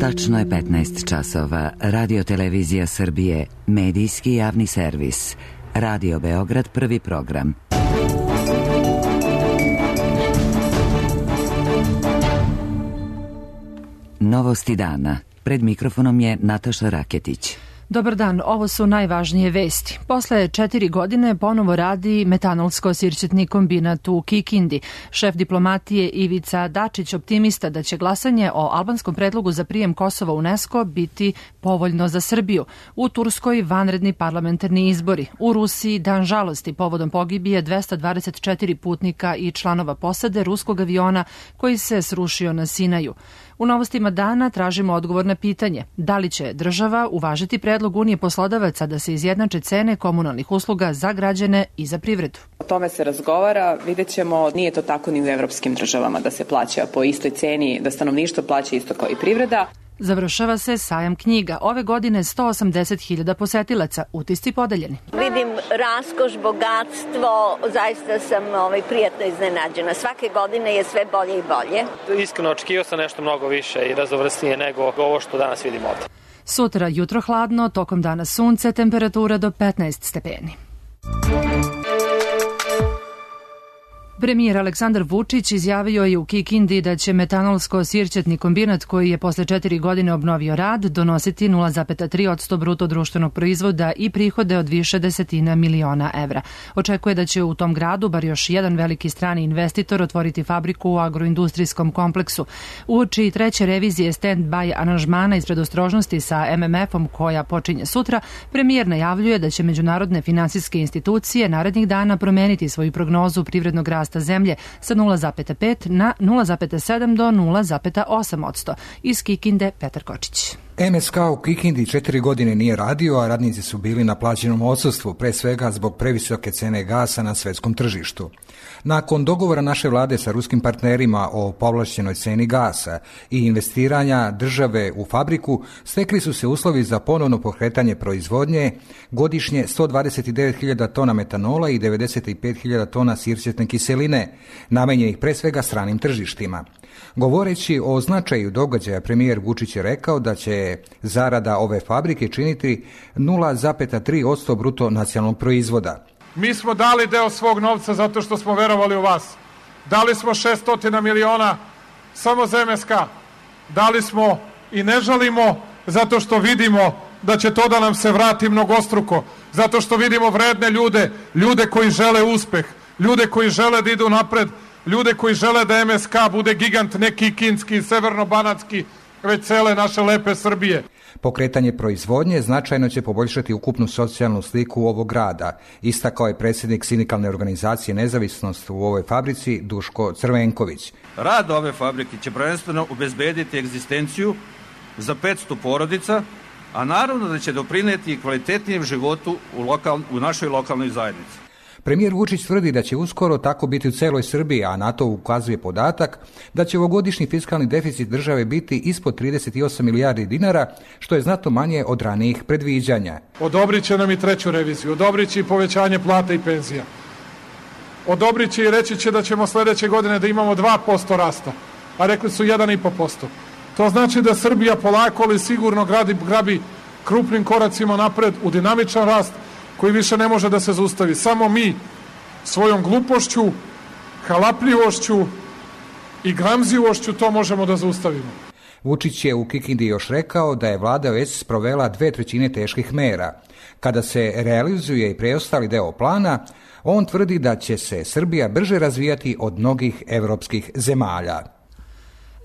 Tačno je 15 časova. Radio Televizija Srbije, medijski javni servis. Radio Beograd, prvi program. Novosti dana. Pred mikrofonom je Nataša Raketić. Dobar dan, ovo su najvažnije vesti. Posle 4 godine ponovo radi metanolsko-sirćetni kombinat u Kikindi. Šef diplomatije Ivica Dačić optimista da će glasanje o albanskom predlogu za prijem Kosova u UNESCO biti povoljno za Srbiju. U Turskoj vanredni parlamentarni izbori. U Rusiji dan žalosti povodom pogibije 224 putnika i članova posade ruskog aviona koji se srušio na Sinaju. U novostima dana tražimo odgovor na pitanje da li će država uvažiti predlog Unije poslodavaca da se izjednače cene komunalnih usluga za građane i za privredu. O tome se razgovara, vidjet ćemo, nije to tako ni u evropskim državama da se plaća po istoj ceni, da stanovništvo plaća isto kao i privreda. Završava se sajam knjiga. Ove godine 180.000 posetilaca, utisci podeljeni. Vidim raskoš, bogatstvo, zaista sam prijatno iznenađena. Svake godine je sve bolje i bolje. Iskreno očekivao sam nešto mnogo više i raznovrsnije nego ovo što danas vidimo ovdje. Sutra jutro hladno, tokom dana sunce, temperatura do 15 stepeni. Premijer Aleksandar Vučić izjavio je u Kikindi da će metanolsko-sirćetni kombinat koji je posle 4 godine obnovio rad donositi 0,3% bruto društvenog proizvoda i prihode od više desetina miliona evra. Očekuje da će u tom gradu bar još jedan veliki strani investitor otvoriti fabriku u agroindustrijskom kompleksu. Uoči treće revizije stand-by aranžmana iz predostrožnosti sa MMF-om koja počinje sutra, premijer najavljuje da će međunarodne finansijske institucije narednih dana promeniti svoju prognozu privrednog rasta zemlje sa 0,5 na 0,7 do 0,8%. Iz Kikinde Petar Kočić. MSK u Kikindi 4 godine nije radio, a radnici su bili na plaćenom odsustvu, pre svega zbog previsoke cene gasa na svetskom tržištu. Nakon dogovora naše vlade sa ruskim partnerima o povlašćenoj ceni gasa i investiranja države u fabriku, stekli su se uslovi za ponovno pokretanje proizvodnje, godišnje 129.000 tona metanola i 95.000 tona sirćetne kiseline, namenjenih pre svega stranim tržištima. Govoreći o značaju događaja, premijer Vučić je rekao da će zarada ove fabrike činiti 0,3% bruto nacionalnog proizvoda. Mi smo dali deo svog novca zato što smo verovali u vas. Dali smo 600 miliona samo za MSK. Dali smo i ne žalimo zato što vidimo da će to da nam se vrati mnogostruko. Zato što vidimo vredne ljude koji žele uspeh, ljude koji žele da idu napred, ljude koji žele da MSK bude gigant, ne kikinski, severno-banatski, već cele naše lepe Srbije. Pokretanje proizvodnje značajno će poboljšati ukupnu socijalnu sliku ovog grada, istakao je predsjednik sindikalne organizacije Nezavisnost u ovoj fabrici Duško Crvenković. Rad ove fabrike će prvenstveno obezbediti egzistenciju za 500 porodica, a naravno da će doprineti kvalitetnijem životu u našoj lokalnoj zajednici. Premijer Vučić tvrdi da će uskoro tako biti u celoj Srbiji, a na to ukazuje podatak da će ovogodišnji fiskalni deficit države biti ispod 38 milijardi dinara, što je znatno manje od ranijih predviđanja. Odobrit će nam i treću reviziju, odobrit će i povećanje plata i penzija. Odobrit će i reći će da ćemo sledeće godine da imamo 2% rasta, a rekli su 1,5%. To znači da Srbija polako ali sigurno grabi krupnim koracima napred u dinamičan rast, koji više ne može da se zaustavi. Samo mi svojom glupošću, halapljivošću i gramzivošću to možemo da zaustavimo. Vučić je u Kikindi još rekao da je vlada već sprovela 2/3 teških mera. Kada se realizuje i preostali deo plana, on tvrdi da će se Srbija brže razvijati od mnogih evropskih zemalja.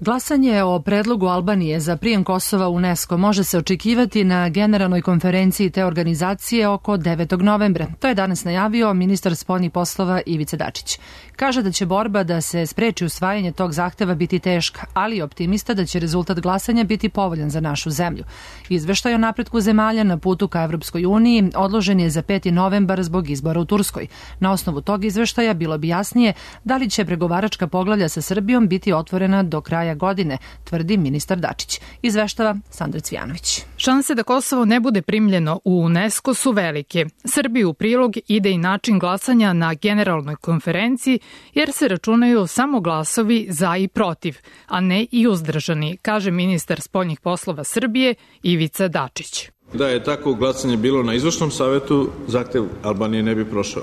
Glasanje o predlogu Albanije za prijem Kosova u UNESCO može se očekivati na generalnoj konferenciji te organizacije oko 9. novembra. To je danas najavio ministar spoljnih poslova Ivica Dačić. Kaže da će borba da se spreči usvajanje tog zahteva biti teška, ali je optimista da će rezultat glasanja biti povoljan za našu zemlju. Izveštaj o napretku zemalja na putu ka Evropskoj uniji odložen je za 5. novembar zbog izbora u Turskoj. Na osnovu tog izveštaja bilo bi jasnije da li će pregovaračka poglavlja sa Srbijom biti otvorena do kraja kraja godine, tvrdi ministar Dačić. Izveštava Sandra Cvijanović. Šanse da Kosovo ne bude primljeno u UNESCO su velike. Srbiji u prilog ide i način glasanja na generalnoj konferenciji, jer se računaju samo glasovi za i protiv, a ne i uzdržani, kaže ministar spoljnih poslova Srbije Ivica Dačić. Da je tako glasanje bilo na izvršnom savetu, zahtev Albanije ne bi prošao.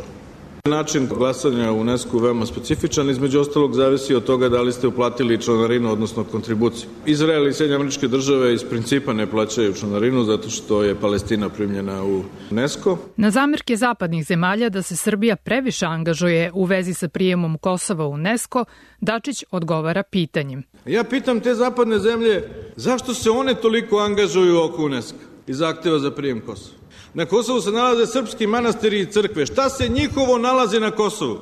Način glasanja u UNESCO veoma specifičan, između ostalog zavisi od toga da li ste uplatili članarinu, odnosno kontribuciju. Izrael i Sjedinjene Američke Države iz principa ne plaćaju članarinu zato što je Palestina primljena u UNESCO. Na zamerke zapadnih zemalja da se Srbija previše angažuje u vezi sa prijemom Kosova u UNESCO, Dačić odgovara pitanjem. Ja pitam te zapadne zemlje zašto se one toliko angažuju oko UNESCO i zahteva za prijem Kosova. Na Kosovu se nalaze srpski manastiri i crkve. Šta se njihovo nalazi na Kosovu?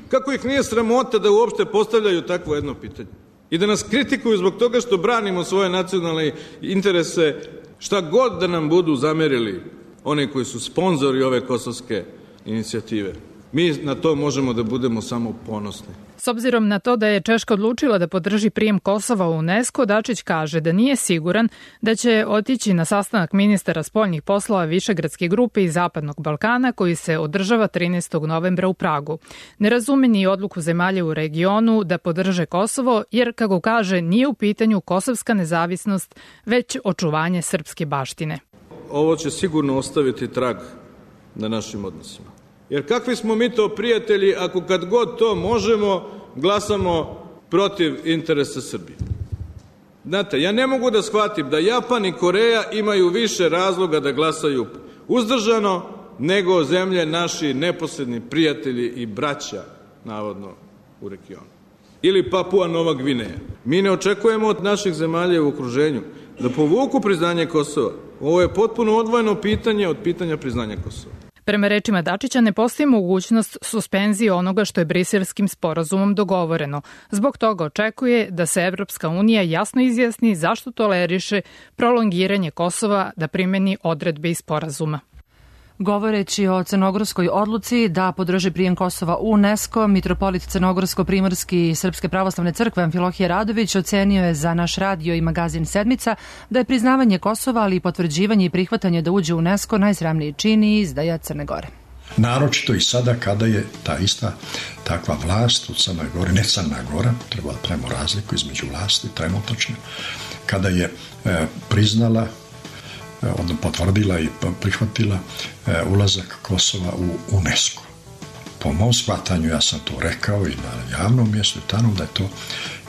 Kako ih nije sramota da uopšte postavljaju takvo jedno pitanje? I da nas kritikuju zbog toga što branimo svoje nacionalne interese, šta god da nam budu zamerili oni koji su sponzori ove kosovske inicijative. Mi na to možemo da budemo samo ponosni. S obzirom na to da je Češka odlučila da podrži prijem Kosova u UNESCO, Dačić kaže da nije siguran da će otići na sastanak ministara spoljnih poslova Višegradske grupe i Zapadnog Balkana koji se održava 13. novembra u Pragu. Ne razume ni odluku zemalja u regionu da podrže Kosovo, jer, kako kaže, nije u pitanju kosovska nezavisnost, već očuvanje srpske baštine. Ovo će sigurno ostaviti trag na našim odnosima. Jer kakvi smo mi to prijatelji ako kad god to možemo glasamo protiv interesa Srbije? Znate, ja ne mogu da shvatim da Japan i Koreja imaju više razloga da glasaju uzdržano nego zemlje naši neposredni prijatelji i braća, navodno, u regionu. Ili Papua Nova Gvineja. Mi ne očekujemo od naših zemalja u okruženju da povuku priznanje Kosova. Ovo je potpuno odvojeno pitanje od pitanja priznanja Kosova. Prema rečima Dačića ne postoji mogućnost suspenzije onoga što je Briselskim sporazumom dogovoreno. Zbog toga očekuje da se Evropska unija jasno izjasni zašto toleriše prolongiranje Kosova da primeni odredbe iz sporazuma. Govoreći o crnogorskoj odluci da podrži prijem Kosova u UNESCO, mitropolit Crnogorsko-Primorski Srpske pravoslavne crkve Amfilohije Radović ocenio je za naš radio i magazin Sedmica da je priznavanje Kosova, ali i potvrđivanje i prihvatanje da uđe u UNESCO najsramniji čin i izdaja Crne Gore. Naročito i sada kada je ta ista takva vlast u Crnoj Gori, ne Crna Gora, treba da pravimo razliku između vlasti trenutačne, kada je priznala, odnosno potvrdila i prihvatila ulazak Kosova u UNESCO. Po mom shvatanju, ja sam to rekao i na javnom mjestu tamo, da je to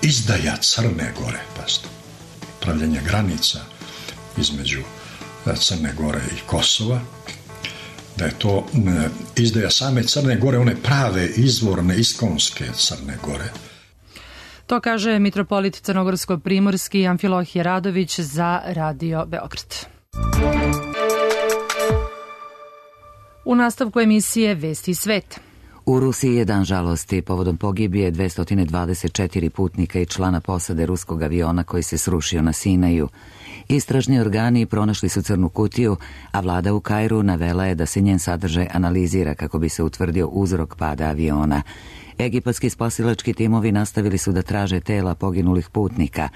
izdaja Crne Gore, pazite, pravljenje granica između Crne Gore i Kosova, da je to izdaja same Crne Gore, one prave, izvorne, iskonske Crne Gore. To kaže mitropolit Crnogorsko-Primorski Amfilohije Radović za Radio Beograd. U nastavku emisije Vesti svet. U Rusiji je dan žalosti povodom pogibije 224 putnika i člana posade ruskog aviona koji se srušio na Sinaju. Istražni organi pronašli su crnu kutiju, a vlada u Kairu navela je da se njen sadržaj analizira kako bi se utvrdio uzrok pada aviona. Egipatski spasilački timovi nastavili su da traže tela poginulih putnika.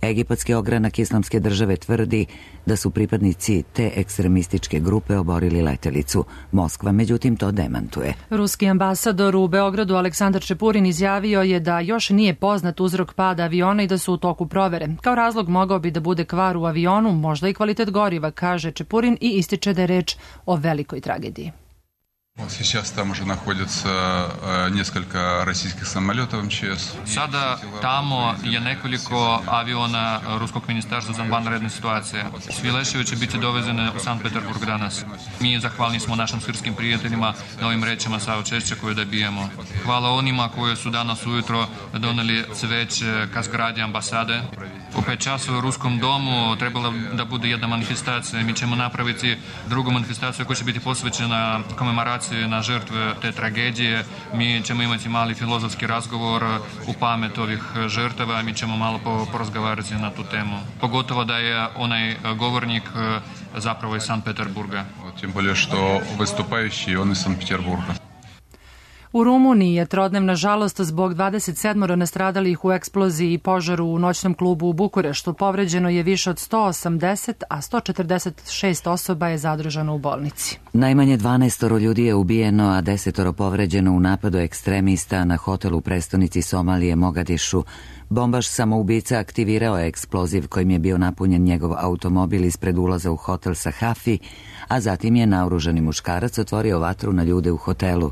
Egipatski ogranak Islamske države tvrdi da su pripadnici te ekstremističke grupe oborili letelicu. Moskva, međutim, to demantuje. Ruski ambasador u Beogradu Aleksandar Čepurin izjavio je da još nije poznat uzrok pada aviona i da su u toku provere. Kao razlog mogao bi da bude kvar u avionu, možda i kvalitet goriva, kaže Čepurin i ističe da je reč o velikoj tragediji. Сейчас там уже находится несколько российских самолетов МЧС. Sada tamo je nekoliko aviona Ruskog ministarstva za vanredne situacije. Svi leševi će biti dovezene u Sankt Peterburg danas. Mi zahvalni smo našim srpskim prijateljima na ovim rečima saučešća koje dobijemo. Hvala onima koji su danas ujutro doneli cveće ka zgradi ambasade. U 5 časova u Ruskom domu trebala da bude jedna manifestacija. Mi ćemo napraviti drugu manifestaciju koja će biti posvećena komemoraciji na žrtve te tragedije. Mi ćemo imati mali filozofski razgovor u pamet ovih žrtava. Mi ćemo malo porazgovarati na tu temu. Pogotovo da je onaj govornik zapravo iz Sankt Peterburga. Tim bolje što vystupajući on iz Sankt Peterburga. U Rumuniji je trodnevna žalost zbog 27 nastradalih u eksploziji i požaru u noćnom klubu u Bukureštu. Povređeno je više od 180, a 146 osoba je zadržano u bolnici. Najmanje 12 ljudi je ubijeno, a 10 povređeno u napadu ekstremista na hotelu u prestonici Somalije Mogadišu. Bombaš samoubica aktivirao je eksploziv kojim je bio napunjen njegov automobil ispred ulaza u hotel Sahafi, a zatim je naoružani muškarac otvorio vatru na ljude u hotelu.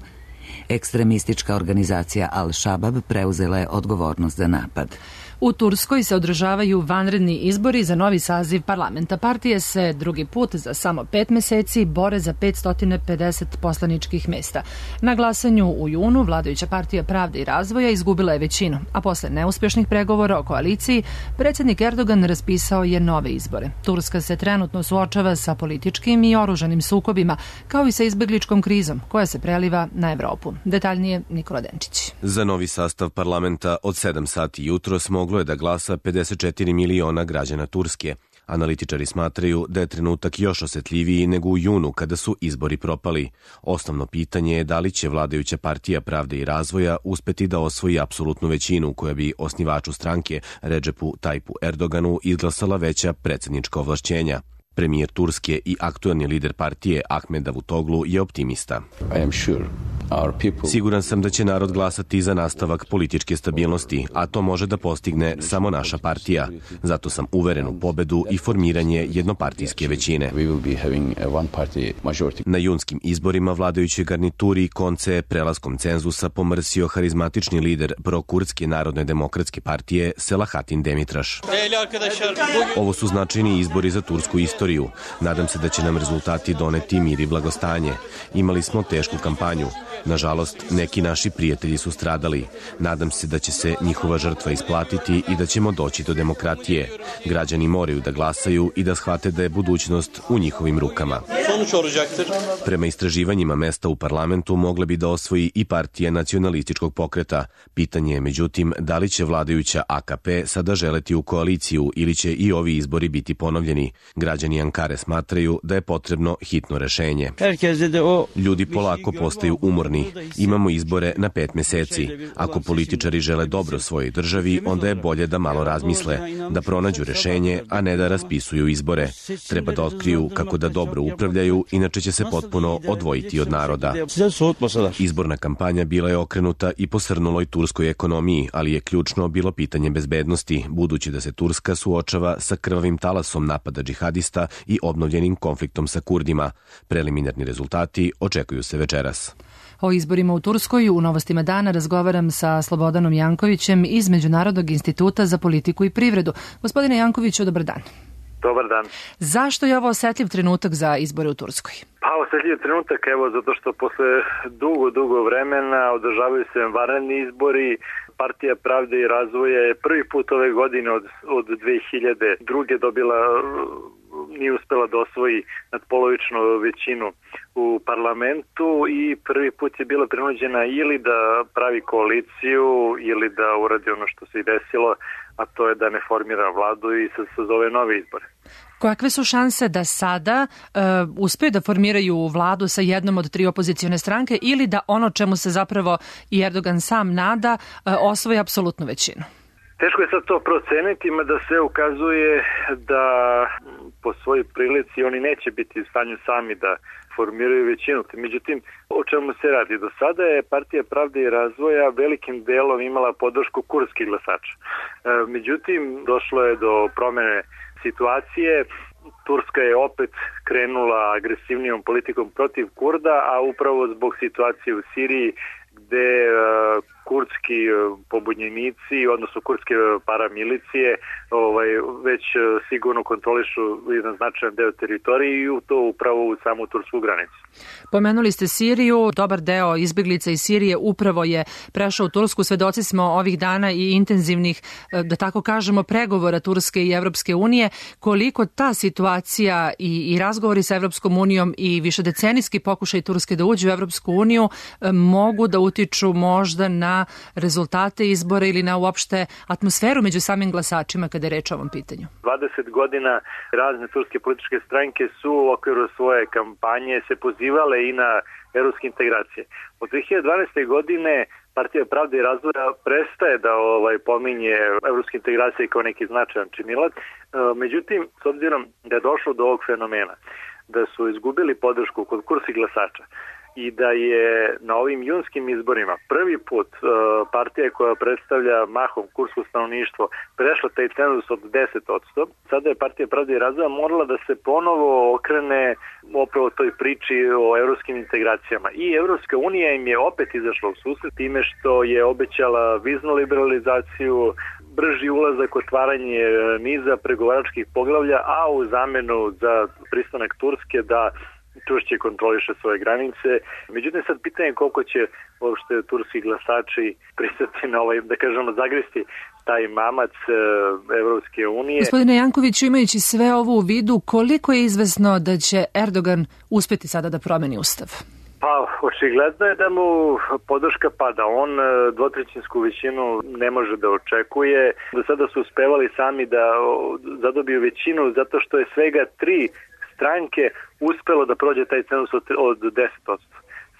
Ekstremistička organizacija Al-Shabab preuzela je odgovornost za napad. U Turskoj se održavaju vanredni izbori za novi saziv parlamenta. Partije se drugi put za samo 5 meseci bore za 550 poslaničkih mesta. Na glasanju u junu vladajuća partija Pravde i razvoja izgubila je većinu, a posle neuspješnih pregovora o koaliciji, predsjednik Erdogan raspisao je nove izbore. Turska se trenutno suočava sa političkim i oružanim sukobima, kao i sa izbjegličkom krizom koja se preliva na Evropu. Detaljnije Nikola Denčić. Za novi sastav parlamenta od 7 sati jutros moglo je da glasa 54 miliona građana Turske. Analitičari smatraju da je trenutak još osetljiviji nego u junu kada su izbori propali. Osnovno pitanje je da li će vladajuća partija Pravde i razvoja uspeti da osvoji apsolutnu većinu koja bi osnivaču stranke Redžepu Tajpu Erdoganu izglasala veća predsjednička ovlašćenja. Premijer Turske i aktuelni lider partije Ahmed Davutoglu je optimista. Siguran sam da će narod glasati za nastavak političke stabilnosti, a to može da postigne samo naša partija. Zato sam uveren u pobedu i formiranje jednopartijske većine. Na junskim izborima vladajućoj garnituri konce je prelaskom cenzusa pomrsio harizmatični lider prokurdske narodne demokratske partije Selahatin Demitraš. Ovo su značajni izbori za tursku istoriju. Nadam se da će nam rezultati doneti mir i blagostanje. Imali smo tešku kampanju. Nažalost, neki naši prijatelji su stradali. Nadam se da će se njihova žrtva isplatiti i da ćemo doći do demokratije. Građani moraju da glasaju i da shvate da je budućnost u njihovim rukama. Prema istraživanjima mesta u parlamentu mogle bi da osvoji i partija nacionalističkog pokreta. Pitanje je, međutim, da li će vladajuća AKP sada želeti u koaliciju ili će i ovi izbori biti ponovljeni. Građani Ankare smatraju da je potrebno hitno rešenje. Ljudi polako postaju umorni. Imamo izbore na 5 meseci. Ako političari žele dobro svojoj državi, onda je bolje da malo razmisle, da pronađu rešenje, a ne da raspisuju izbore. Treba da otkriju kako da dobro upravljaju, inače će se potpuno odvojiti od naroda. Izborna kampanja bila je okrenuta i posrnuloj turskoj ekonomiji, ali je ključno bilo pitanje bezbednosti, budući da se Turska suočava sa krvavim talasom napada džihadista i obnovljenim konfliktom sa Kurdima. Preliminarni rezultati očekuju se večeras. O izborima u Turskoj u Novostima dana razgovaram sa Slobodanom Jankovićem iz Međunarodnog instituta za politiku i privredu. Gospodine Jankoviću, dobar dan. Dobar dan. Zašto je ovo osetljiv trenutak za izbore u Turskoj? Pa osetljiv trenutak, zato što posle dugo vremena održavaju se vanredni izbori. Partija Pravde i razvoja je prvi put ove godine od 2002. dobila, nije uspela da osvoji nadpolovičnu većinu u parlamentu i prvi put je bila prinuđena ili da pravi koaliciju ili da uradi ono što se i desilo, a to je da ne formira vladu i se sazove nove izbore. Kakve su šanse da sada uspeju da formiraju vladu sa jednom od 3 opozicione stranke ili da ono čemu se zapravo i Erdogan sam nada osvoji apsolutnu većinu? Teško je sad to proceniti, mada se ukazuje da po svojoj prilici oni neće biti u stanju sami da formiraju većinu. Međutim, o čemu se radi? Do sada je Partija Pravde i razvoja velikim delom imala podršku kurdskih glasača. Međutim, došlo je do promene situacije. Turska je opet krenula agresivnijom politikom protiv Kurda, a upravo zbog situacije u Siriji gde kurdski pobunjenici, odnosno kurdske paramilicije već sigurno kontrolišu jedan značajan deo teritorije i to upravo u samu tursku granicu. Pomenuli ste Siriju, dobar deo izbjeglica iz Sirije upravo je prešao u Tursku. Svedoci smo ovih dana i intenzivnih, da tako kažemo, pregovora Turske i Evropske unije. Koliko ta situacija i razgovori sa Evropskom unijom i višedecenijski pokušaj Turske da uđe u Evropsku uniju mogu da utiču možda na na rezultate izbora ili na uopšte atmosferu među samim glasačima kada je reč o ovom pitanju? 20 godina razne turske političke stranke su u okviru svoje kampanje se pozivale i na evropske integracije. Od 2012. godine Partija pravde i razvoja prestaje da pominje evropske integracije kao neki značajan činilac. Međutim, s obzirom da je došlo do ovog fenomena, da su izgubili podršku kod kursi glasača i da je na ovim junskim izborima prvi put partija koja predstavlja mahom kursko stanovništvo prešla taj cenzus od 10%, sada je Partija pravde i razvoja morala da se ponovo okrene upravo toj priči o evropskim integracijama. I Evropska unija im je opet izašla u susret time što je obećala viznu liberalizaciju, brži ulazak, otvaranje niza pregovaračkih poglavlja, a u zamenu za pristanak Turske da čvršće kontroliše svoje granice. Međutim, sad pitanje koliko će uopšte turski glasači pristati na da kažemo, zagristi taj mamac Evropske unije. Gospodine Jankoviću, imajući sve ovo u vidu, koliko je izvesno da će Erdogan uspeti sada da promeni ustav? Pa, očigledno je da mu podrška pada. On dvotrećinsku većinu ne može da očekuje. Do sada su uspevali sami da zadobiju većinu zato što je svega 3 stranke uspelo da prođe taj cenzus od 10%.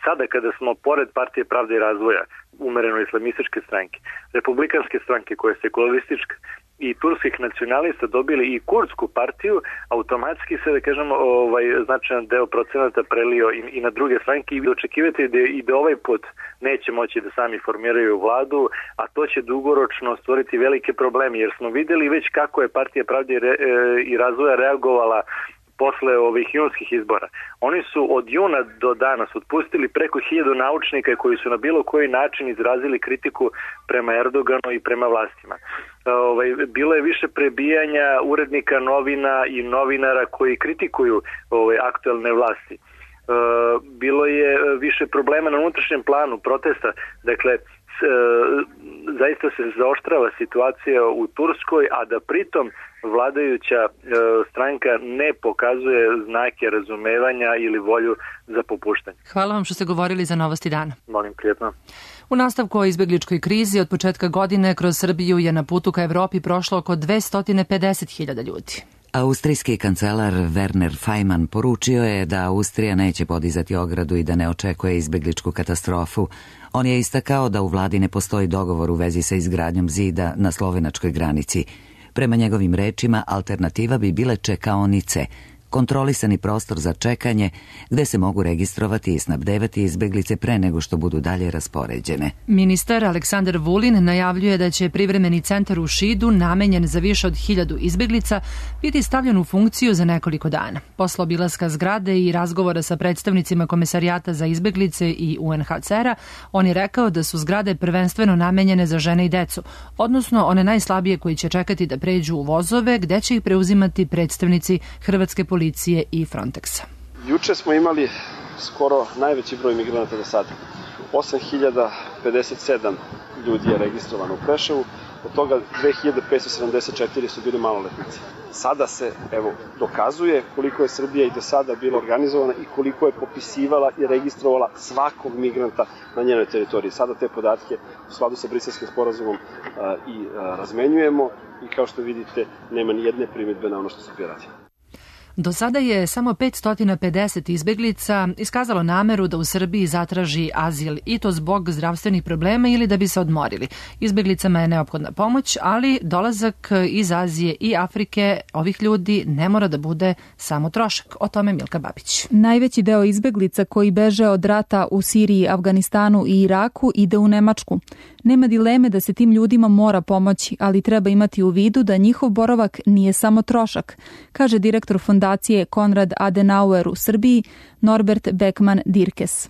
Sada kada smo pored Partije pravde i razvoja, umereno islamističke stranke, republikanske stranke koja je sekularistička i turskih nacionalista dobili i kurdsku partiju, automatski se, da kažemo, značajan deo procenata prelio i na druge stranke i očekivati da ovaj put neće moći da sami formiraju vladu, a to će dugoročno stvoriti velike probleme, jer smo videli već kako je Partija pravde i razvoja reagovala posle ovih junskih izbora. Oni su od juna do danas otpustili preko 1000 naučnika koji su na bilo koji način izrazili kritiku prema Erdoganu i prema vlastima. Bilo je više prebijanja urednika novina i novinara koji kritikuju aktuelne vlasti. Bilo je više problema na unutrašnjem planu protesta. Dakle, zaista se zaoštrava situacija u Turskoj, a da pritom vladajuća stranka ne pokazuje znake razumevanja ili volju za popuštanje. Hvala vam što ste govorili za Novosti dana. Molim, prijetno. U nastavku o izbegličkoj krizi od početka godine kroz Srbiju je na putu ka Evropi prošlo oko 250.000 ljudi. Austrijski kancelar Werner Faymann poručio je da Austrija neće podizati ogradu i da ne očekuje izbegličku katastrofu. On je istakao da u vladi ne postoji dogovor u vezi sa izgradnjom zida na slovenačkoj granici. Prema njegovim rečima, alternativa bi bile čekaonice, kontrolisani prostor za čekanje gde se mogu registrovati i snabdevati izbeglice pre nego što budu dalje raspoređene. Ministar Aleksandar Vulin najavljuje da će privremeni centar u Šidu, namenjen za više od 1000 izbeglica, biti stavljen u funkciju za nekoliko dana. Posle obilaska zgrade i razgovora sa predstavnicima Komesarijata za izbeglice i UNHCR-a, on je rekao da su zgrade prvenstveno namenjene za žene i decu, odnosno one najslabije koji će čekati da pređu u vozove, gde će ih preuzimati predstavnici Hrvatske policije i Frontexa. Juče smo imali skoro najveći broj migranata do sada. 8057 ljudi je registrovano u Preševu, od toga 2574 su bili maloletnici. Sada se, dokazuje koliko je Srbija i do sada bila organizovana i koliko je popisivala i registrovala svakog migranta na njenoj teritoriji. Sada te podatke u skladu sa Briselskim sporazumom i razmenjujemo i kao što vidite nema ni jedne primjedbe na ono što Srbija radi. Do sada je samo 550 izbeglica iskazalo nameru da u Srbiji zatraži azil i to zbog zdravstvenih problema ili da bi se odmorili. Izbeglicama je neophodna pomoć, ali dolazak iz Azije i Afrike ovih ljudi ne mora da bude samo trošak. O tome Milka Babić. Najveći deo izbeglica koji beže od rata u Siriji, Afganistanu i Iraku ide u Nemačku. Nema dileme da se tim ljudima mora pomoći, ali treba imati u vidu da njihov boravak nije samo trošak, kaže direktor fondacije Konrad Adenauer u Srbiji, Norbert Beckman-Dirkes.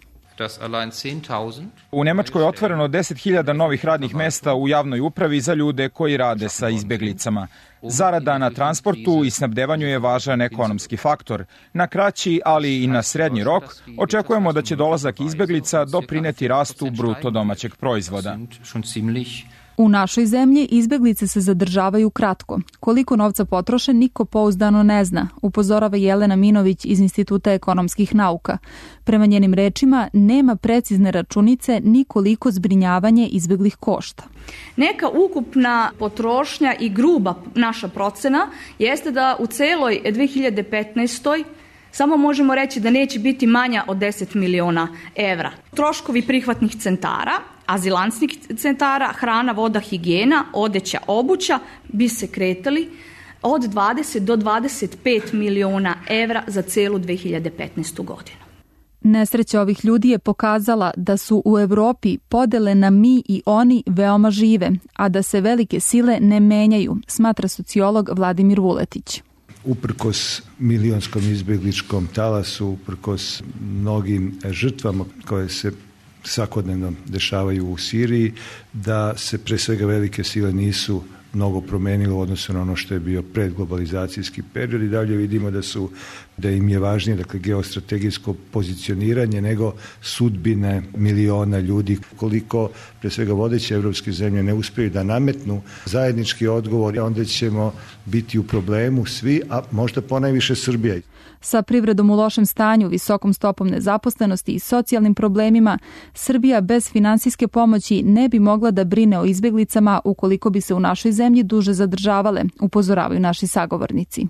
U Nemačkoj je otvoreno 10.000 novih radnih mesta u javnoj upravi za ljude koji rade sa izbeglicama. Zarada na transportu i snabdevanju je važan ekonomski faktor. Na kraći, ali i na srednji rok, očekujemo da će dolazak izbeglica doprineti rastu bruto domaćeg proizvoda. U našoj zemlji izbeglice se zadržavaju kratko. Koliko novca potroše, niko pouzdano ne zna, upozorava Jelena Minović iz Instituta ekonomskih nauka. Prema njenim rečima, nema precizne računice ni koliko zbrinjavanje izbeglih košta. Neka ukupna potrošnja i gruba naša procena jeste da u celoj 2015. samo možemo reći da neće biti manja od 10 miliona evra. Troškovi prihvatnih centara, azilantskih centara, hrana, voda, higijena, odeća, obuća bi se kretali od 20 do 25 miliona evra za celu 2015. godinu. Nesreća ovih ljudi je pokazala da su u Evropi podele na mi i oni veoma žive, a da se velike sile ne menjaju, smatra sociolog Vladimir Vuletić. Uprkos milionskom izbjegličkom talasu, uprkos mnogim žrtvama koje se svakodnevno dešavaju u Siriji, da se pre svega velike sile nisu mnogo promenilo u odnosu na ono što je bio predglobalizacijski period i dalje vidimo da im je važnije, dakle, geostrategijsko pozicioniranje nego sudbine miliona ljudi. Koliko pre svega vodeće evropske zemlje ne uspiju da nametnu zajednički odgovor, onda ćemo biti u problemu svi, a možda ponajviše Srbija. Sa privredom u lošem stanju, visokom stopom nezaposlenosti i socijalnim problemima, Srbija bez finansijske pomoći ne bi mogla da brine o izbjeglicama ukoliko bi se u našoj zemlji duže zadržavale, upozoravaju naši sagovornici.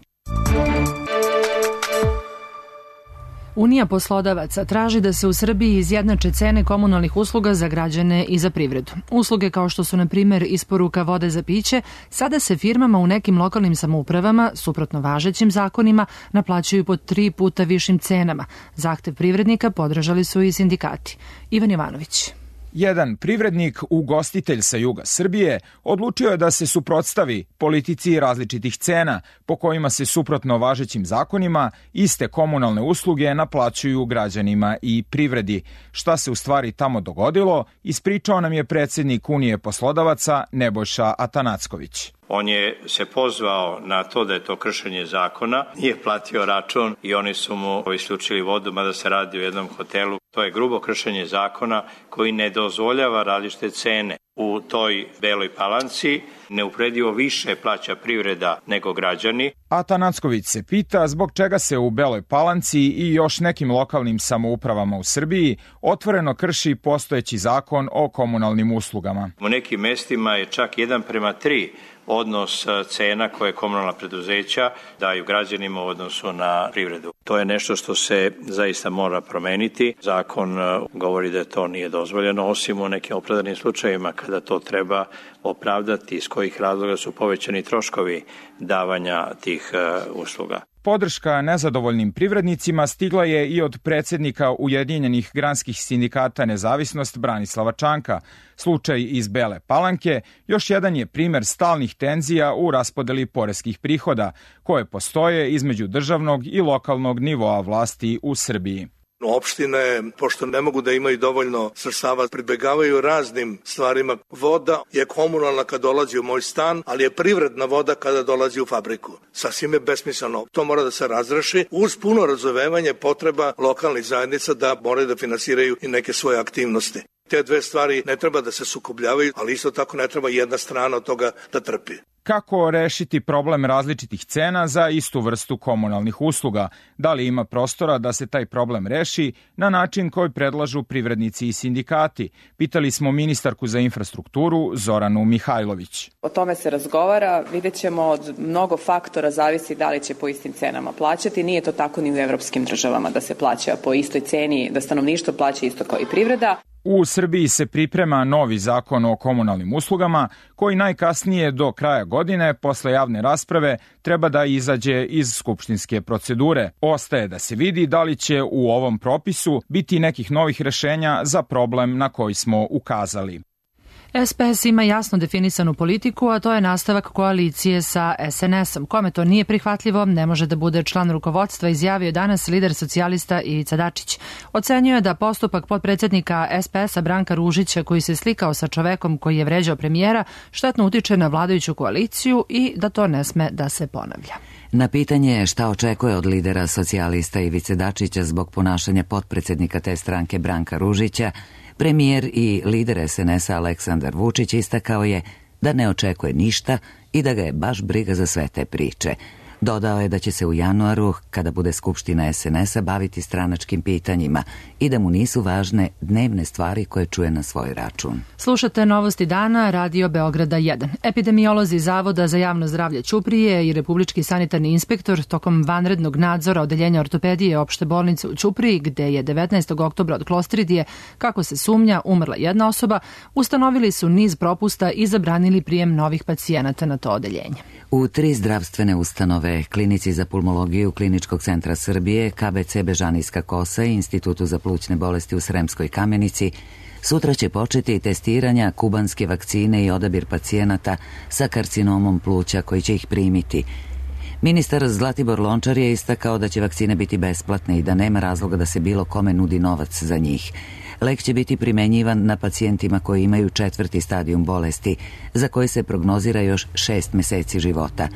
Unija poslodavaca traži da se u Srbiji izjednače cene komunalnih usluga za građane i za privredu. Usluge kao što su, na primjer, isporuka vode za piće, sada se firmama u nekim lokalnim samoupravama, suprotno važećim zakonima, naplaćuju po 3 puta višim cenama. Zahtev privrednika podržali su i sindikati. Ivan Jovanović. Jedan privrednik, ugostitelj sa juga Srbije, odlučio je da se suprotstavi politici različitih cena, po kojima se suprotno važećim zakonima iste komunalne usluge naplaćuju građanima i privredi. Šta se u stvari tamo dogodilo, ispričao nam je predsjednik Unije poslodavaca Nebojša Atanacković. On je se pozvao na to da je to kršenje zakona, nije platio račun i oni su mu isključili vodu, mada se radi o jednom hotelu. To je grubo kršenje zakona koji ne dozvoljava različite cene. U toj Beloj Palanci neuporedivo više plaća privreda nego građani. Atanacković se pita zbog čega se u Beloj Palanci i još nekim lokalnim samoupravama u Srbiji otvoreno krši postojeći zakon o komunalnim uslugama. U nekim mestima je čak 1:3 odnos cena koje komunalna preduzeća daju građanima u odnosu na privredu. To je nešto što se zaista mora promeniti. Zakon govori da to nije dozvoljeno, osim u nekim opravdanim slučajevima kada to treba opravdati iz kojih razloga su povećani troškovi davanja tih usluga. Podrška nezadovoljnim privrednicima stigla je i od predsjednika Ujedinjenih granskih sindikata Nezavisnost Branislava Čanka. Slučaj iz Bele Palanke još jedan je primer stalnih tenzija u raspodeli poreskih prihoda, koje postoje između državnog i lokalnog nivoa vlasti u Srbiji. Opštine, pošto ne mogu da imaju dovoljno sredstava, pribegavaju raznim stvarima. Voda je komunalna kad dolazi u moj stan, ali je privredna voda kada dolazi u fabriku. Sasvim je besmisleno. To mora da se razreši uz puno razumevanje potreba lokalnih zajednica da moraju da finansiraju i neke svoje aktivnosti. Te dve stvari ne treba da se sukobljavaju, ali isto tako ne treba jedna strana od toga da trpi. Kako rešiti problem različitih cena za istu vrstu komunalnih usluga? Da li ima prostora da se taj problem reši na način koji predlažu privrednici i sindikati? Pitali smo ministarku za infrastrukturu Zoranu Mihajlović. O tome se razgovara, vidjet ćemo, od mnogo faktora zavisi da li će po istim cenama plaćati. Nije to tako ni u evropskim državama da se plaća po istoj ceni, da stanovništvo plaća isto kao i privreda. U Srbiji se priprema novi zakon o komunalnim uslugama koji najkasnije do kraja godine, posle javne rasprave, treba da izađe iz skupštinske procedure. Ostaje da se vidi da li će u ovom propisu biti nekih novih rešenja za problem na koji smo ukazali. SPS ima jasno definisanu politiku, a to je nastavak koalicije sa SNS-om. Kome to nije prihvatljivo, ne može da bude član rukovodstva, izjavio danas lider socijalista Ivica Dačić. Ocenjuje da postupak potpredsjednika SPS-a Branka Ružića, koji se slikao sa čovekom koji je vređao premijera, štetno utiče na vladajuću koaliciju i da to ne sme da se ponavlja. Na pitanje šta očekuje od lidera socijalista Ivice Dačića zbog ponašanja potpredsednika te stranke Branka Ružića, premijer i lider SNS-a Aleksandar Vučić istakao je da ne očekuje ništa i da ga je baš briga za sve te priče. Dodao je da će se u januaru, kada bude skupština SNS-a, baviti stranačkim pitanjima i da mu nisu važne dnevne stvari koje čuje na svoj račun. Slušate Novosti dana, Radio Beograda 1. Epidemiolozi Zavoda za javno zdravlje Ćuprije i Republički sanitarni inspektor tokom vanrednog nadzora Odeljenja ortopedije opšte bolnice u Ćupriji, gde je 19. oktobra od klostridije, kako se sumnja, umrla jedna osoba, ustanovili su niz propusta i zabranili prijem novih pacijenata na to odeljenje. U 3 zdravstvene ustanove, Klinici za pulmologiju Kliničkog centra Srbije, KBC Bežanijska Kosa i Institutu za plućne bolesti u Sremskoj Kamenici, sutra će početi testiranja kubanske vakcine i odabir pacijenata sa karcinomom pluća koji će ih primiti. Ministar Zlatibor Lončar je istakao da će vakcine biti besplatne i da nema razloga da se bilo kome nudi novac za njih. Lek će biti primenjivan na pacijentima koji imaju 4. stadijum bolesti, za koji se prognozira još 6 meseci života.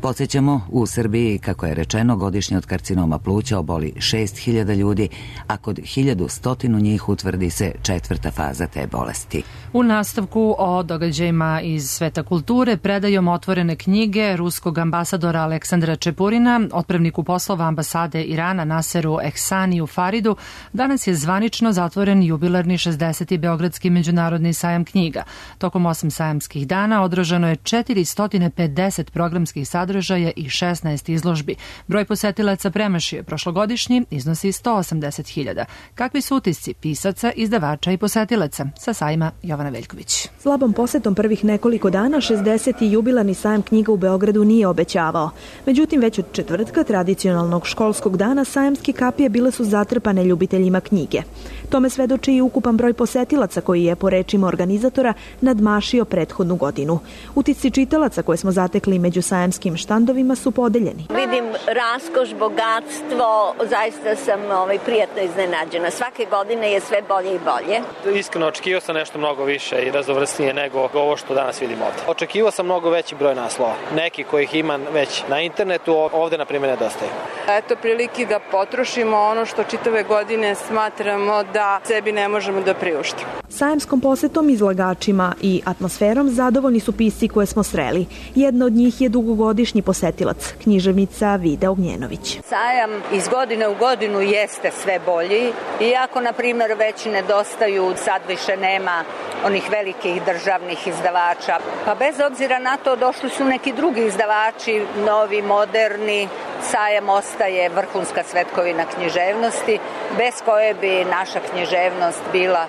Podsjećamo, u Srbiji, kako je rečeno, godišnje od karcinoma pluća oboli 6.000 ljudi, a kod 1.100 njih utvrdi se 4. faza te bolesti. U nastavku o događajima iz sveta kulture predajom otvorene knjige ruskog ambasadora Aleksandra Čepurina, otpravniku poslova ambasade Irana Naseru Ehsaniju Faridu, danas je zvanično zatvoren jubilarni 60. Beogradski međunarodni sajam knjiga. Tokom 8 sajamskih dana održano je 450 programskih sadržaja i 16 izložbi. Broj posetilaca premašio je prošlogodišnji, iznosi 180.000. Kakvi su utisci pisaca, izdavača i posetilaca? Sa sajma Jovana Veljković. Slabom posetom prvih nekoliko dana 60. jubilarni sajam knjiga u Beogradu nije obećavao. Međutim, već od četvrtka tradicionalnog školskog dana sajamske kapije bile su zatrpane ljubiteljima knjige. Tome svedoči i ukupan broj posetilaca koji je, po rečima organizatora, nadmašio prethodnu godinu. Utisci čitalaca koje smo zatekli među sajamskim štandovima su podeljeni. Vidim raskoš, bogatstvo, zaista sam prijatno iznenađena. Svake godine je sve bolje i bolje. Iskreno, očekivao sam nešto mnogo više i raznovrsnije nego ovo što danas vidimo ovde. Očekivao sam mnogo veći broj naslova. Neki kojih ima već na internetu, ovde na primjer nedostaje. Eto prilike da potrošimo ono što čitave godine smatramo da sebi ne možemo da priuštimo. Sajamskom posetom, izlagačima i atmosferom zadovoljni su pisci koje smo sreli. Jedna od njih je dugogodišnji posetilac, književnica Vida Ognjenović. Sajam iz godine u godinu jeste sve bolji, iako, na primjer, već nedostaju, sad više nema onih velikih državnih izdavača. Pa bez obzira na to došli su neki drugi izdavači, novi, moderni. Sajam ostaje vrhunska svetkovina književnosti, bez koje bi naša književnost bila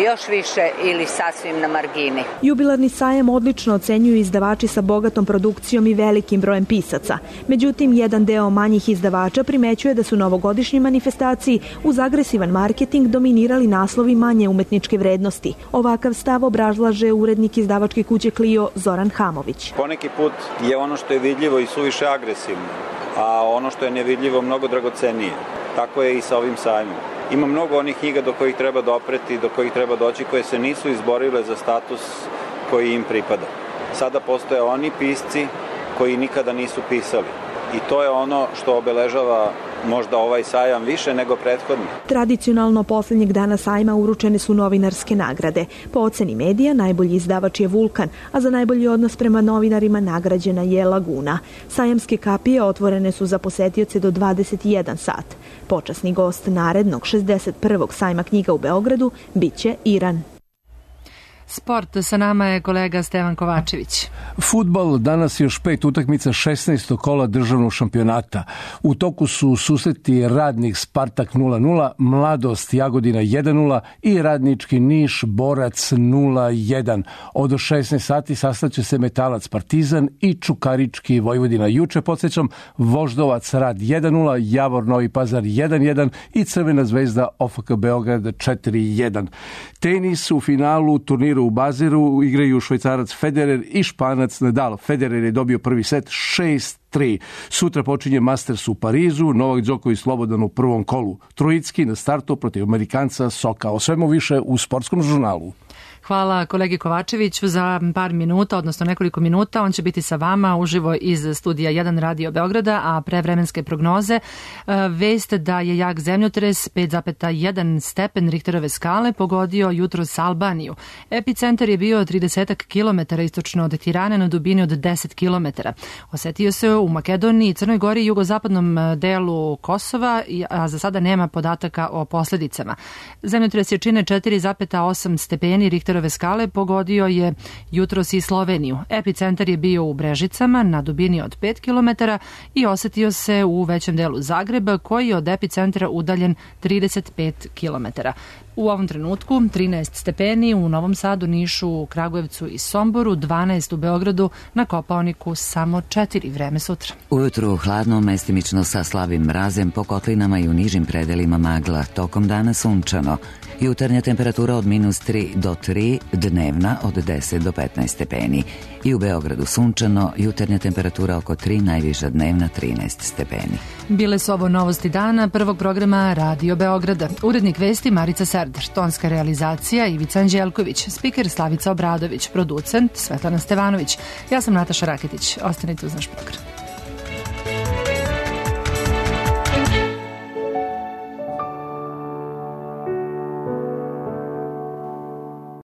još više ili sasvim na margini. Jubilarni sajam odlično ocenjuju izdavači sa bogatom produkcijom i velikim brojem pisaca. Međutim, jedan deo manjih izdavača primećuje da su novogodišnji manifestaciji uz agresivan marketing dominirali naslovi manje umetničke vrednosti. Ovakav stav obrazlaže urednik izdavačke kuće Clio Zoran Hamović. Poneki put je ono što je vidljivo i suviše agresivno, a ono što je nevidljivo mnogo dragocenije. Tako je i sa ovim sajmom. Ima mnogo onih knjiga do kojih treba dopreti, do kojih treba doći, koje se nisu izborile za status koji im pripada. Sada postoje oni pisci koji nikada nisu pisali. I to je ono što obeležava možda ovaj sajam više nego prethodni. Tradicionalno posljednjeg dana sajma uručene su novinarske nagrade. Po oceni medija najbolji izdavač je Vulkan, a za najbolji odnos prema novinarima nagrađena je Laguna. Sajamske kapije otvorene su za posetioce do 21 sat. Počasni gost narednog 61. sajma knjiga u Beogradu biće Iran. Sport, sa nama je kolega Stevan Kovačević. Fudbal, danas još 5 utakmica 16. kola državnog šampionata. U toku su susreti Radnik Spartak 0-0, Mladost Jagodina 1-0 i Radnički Niš Borac 0-1. Od 16 sati sastaće se Metalac Partizan i Čukarički Vojvodina. Juče, podsjećam, Voždovac Rad 1-0, Javor Novi Pazar 1-1 i Crvena zvezda OFK Beograd 4-1. Tenis u finalu turniru u Baziru igraju Švajcarac Federer i Španac Nadal. Federer je dobio prvi set 6-3, 3. Sutra počinje Masters u Parizu, Novak Đoković slobodan u prvom kolu. Trojicki na startu protiv Amerikanca Soka. O svemu više u Sportskom žurnalu. Hvala kolegi Kovačeviću za par minuta, odnosno nekoliko minuta. On će biti sa vama uživo iz studija 1 Radio Beograda, a pre vremenske prognoze vest da je jak zemljotres 5,1 stepen Richterove skale pogodio jutros Albaniju. Epicentar je bio 30 km istočno od Tirane na dubini od 10 km. Osetio se u Makedoniji, Crnoj Gori i jugozapadnom delu Kosova, a za sada nema podataka o posledicama. Zemljotres jačine 4,8 stepeni Richterove skale pogodio je jutros i Sloveniju. Epicentar je bio u Brežicama na dubini od 5 km i osetio se u većem delu Zagreba, koji je od epicentra udaljen 35 km. U ovom trenutku 13 stepeni u Novom Sadu, Nišu, Kragujevcu i Somboru, 12 u Beogradu, na Kopaoniku samo 4. Vreme sutra. Ujutru hladno, mestimično sa slabim mrazem, po kotlinama i u nižim predelima magla. Tokom dana sunčano. Jutarnja temperatura od -3 do 3, dnevna od 10 do 15 stepeni. I u Beogradu sunčano, jutarnja temperatura oko 3, najviša dnevna 13 stepeni. Bile su ovo novosti dana prvog programa Radio Beograda. Urednik vesti Marica Serdar, tonska realizacija Ivica Anđelković, spiker Slavica Obradović, producent Svetlana Stevanović. Ja sam Nataša Raketić. Ostanite uz naš program.